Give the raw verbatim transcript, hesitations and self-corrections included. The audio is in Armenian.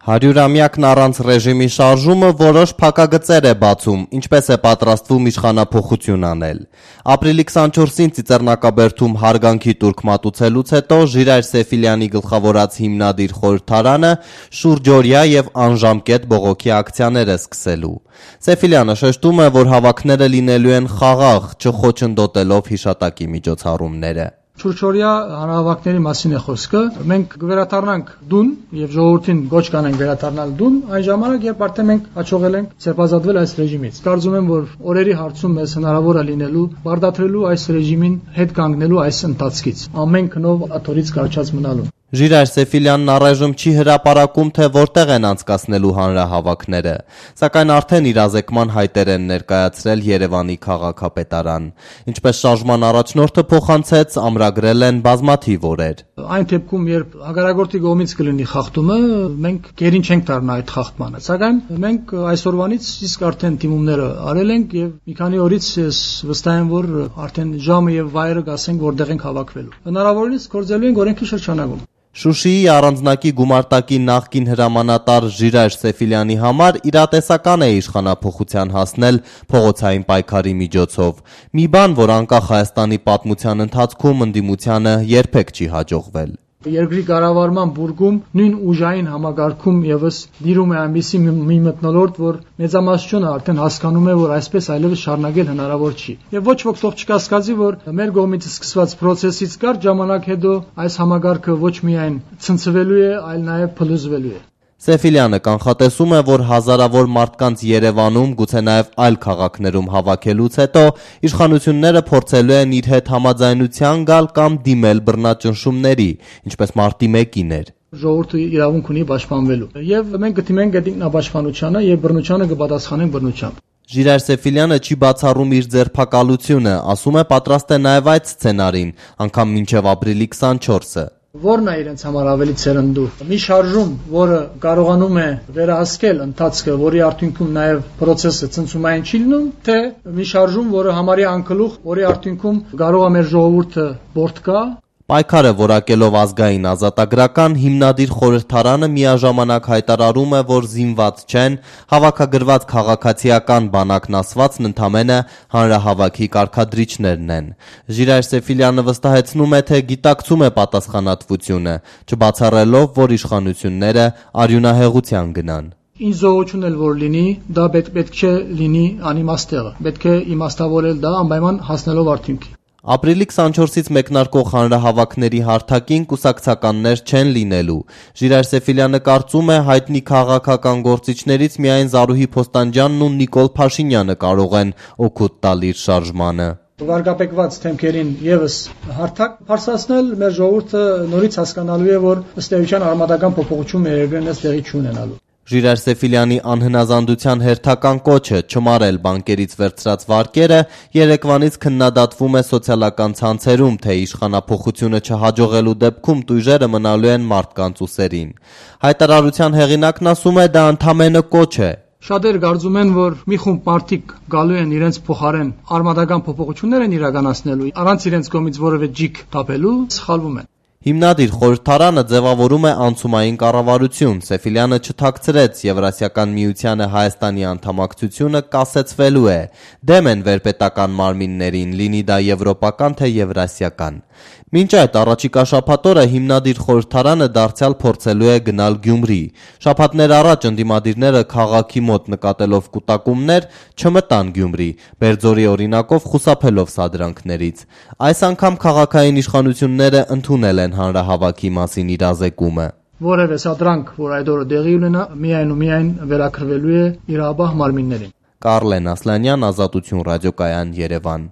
Հարյուրամյակն առանց ռեժիմի շարժումը որոշ փակագծեր է բացում, ինչպես է պատրաստվում իշխանափոխություն անել։ Ապրիլի քսանչորսին Ծիծեռնակաբերդում հարգանքի տուրք մատուցելուց հետո Ժիրայր Սեֆիլյանի գլխավորած հիմնադիր խորհրդարանը շուրջօրյա եւ անժամկետ բողոքի ակցիաներ է սկսելու։ Սեֆիլյանը շեշտում է, որ հավաքները լինելու են խաղաղ, չխոչընդոտելով հիշատակի միջոցառումները։ Շուրջօրյա հանրահավաքների մասին է խոսքը։ Մենք կվերադառնանք դուն եւ ժողովրդին գոչ կանենք վերադառնալ դուն այն ժամանակ, երբ արդեն մենք հաջողել ենք ձերբազատվել այս ռեժիմից։ Կարծում եմ, որ օրերի հարցում մեզ հնարավոր է լինելու բարդացրելու այս ռեժիմին հետ կանգնելու այս ընթացքից։ Ամեն քնով աթորից կարճած մնալու։ Ժիրայր Սեֆիլյանն առայժմ չի հրապարակում, թե որտեղ են անցկացնելու հանրահավաքները, սակայն արդեն իրազեկման հայտեր են ներկայացրել Երևանի քաղաքապետարան։ Ինչպես շարժման առաջնորդը փոխանցեց, ամրագրել են բազմաթիվ օրեր։ Այն դեպքում, երբ հակառակորդի կողմից կլինի խախտումը, մենք գերին չենք դառնա այդ խախտմանը։ Սակայն մենք այսօրվանից իսկ արդեն դիմումները արել ենք եւ մի քանի օրից ես վստահ եմ, որ արդեն ժամը եւ վայրը գասենք որտեղ ենք հավաքվելու։ Հնարավորինս գործելու ենք օրենքի շրջանակում։ Շուշիի առանձնակի գումարտակի նախկին հրամանատար Ժիրայր Սեֆիլյանի համար իրատեսական է իշխանափոխության հասնել փողոցային պայքարի միջոցով։ Մի բան, որ անկախ Հայաստանի պատմության ընթացքում ընդդիմությանը երբեք չի հաջողվել։ Երկրի կառավարման բուրգում նույն ուժային համագարկում եւս դիրում է այնպիսի մի մթնոլորտ, որ մեծամասնությունը արդեն հասկանում է, որ այսպես այլևս շարունակել հնարավոր չի։ Եվ ոչ ոք թող չկասկածի, որ մեր կողմից սկսված process-ից կարճ ժամանակ հետո այս համագարկը ոչ միայն ցնցվելու է, այլ նաեւ փլուզվելու է։ Սեֆիլյանը կանխատեսում է, որ հազարավոր մարդկանց Երևանում, գուցե նաև այլ քաղաքներում հավաքելուց հետո իշխանությունները փորձելու են իր հետ համաձայնության գալ կամ դիմել բռնաճնշումների, ինչպես մարտի մեկին էր։ Ժողովուրդը իրավունք ունի պաշտպանվելու, եւ մենք կդիմենք այդ ինքնապաշտպանությանը եւ բռնությանը կպատասխանենք բռնությամբ։ Ժիրայր Սեֆիլյանը չի բացառում իր ձերբակալությունը, ասում է պատրաստ է նաև այդ սցենարին, անգամ մինչև ապրիլի քսանչորսը։ Որն է իրենց համար ավելի ցերնդու։ Մի շարժում, որը կարողանում է վերահսկել ընթացքը, որի արդյունքում նաև process-ը ցնցումային չի լինում, թե մի շարժում, որը համարյա անկլուխ, որի արդյունքում կարող է մեր ժողովուրդը բորտկա։ Պայքարը որակելով ազգային ազատագրական հիմնադիր խորհրդարանը միաժամանակ հայտարարում է, որ զինված չեն, հավաքագրված քաղաքացիական բանակն ասվածն ընդամենը հանրահավաքի կարգադրիչներն են։ Ժիրայր Սեֆիլյանը վստահեցնում է, թե գիտակցում է պատասխանատվությունը, չբացառելով, որ իշխանությունները արյունահեղության գնան։ Ինչ զողություն էլ որ լինի, դա պետք չէ լինի անիմաստեղը։ Պետք է իմաստավորել դա անպայման հասնելով արդյունքի։ Ապրիլի քսանչորսից մեկնարկող հանրահավաքների հարթակին կուսակցականներ չեն լինելու։ Ժիրայր Սեֆիլյանը կարծում է, հայտնի քաղաքական գործիչներից միայն Զարուհի Փոստանջյանն ու Նիկոլ Փաշինյանը կարող են օգուտ տալ իր շարժմանը։ Վարկապեկված թեմքերին եւս հարթակ բարձրացնել, մեր ժողովուրդը նորից հասկանալու է, որ ըստ էության արմատական փոփոխություն մեր երկրին ըստ տեղի չունենալու։ Ժիրայր Սեֆիլյանի անհնազանդության հերթական կոչը չմարել բանկերից վերցրած վարկերը երեկվանից քննադատվում է սոցիալական ցանցերում, թե իշխանափոխությունը չհաջողելու դեպքում տույժերը մնալու են մարդկանց ուսերին։ Հայտարարության հեղինակն ասում է, դա ընդամենը կոչ է։ Շատերը կարծում են, որ մի խումբ մարդիկ գալու են իրենց փոխարեն արմատական փոփոխություններ են իրականացնելու, առանց իրենց կողմից որևէ ջիք տապելու, սխալվում են։ Հիմնադիր խորհրդարանը ձևավորում է անցումային կառավարություն։ Սեֆիլյանը չթաքցրեց, Եվրասիական միությանը Հայաստանի անդամակցությունը կասեցվելու է։ Դեմ են վերպետական մարմիններին, լինի դա եվրոպական թե եվրասիական։ Մինչ այդ առաջիկա շաբաթօրը հիմնադիր խորհրդարանը դարձյալ փորձելու է գնալ Գյումրի։ Շաբաթներ առաջ ընդդիմադիրները քաղաքի մոտ նկատելով կուտակումներ չմտան Գյումրի, Բերձորի օրինակով խուսափելով սադրանքներից։ Այս անգամ քաղաքային իշխանությունները ընդունել են հանրահավաքի մասին իրազեկումը։ Որևէ սադրանք, որ այդ օրը տեղի ունենա, միայն ու միայն վերակրվելու է իրավաբան մարմիններին։ Կարլեն Ասլանյան, Ազատություն ռադիոկայան, Երևան։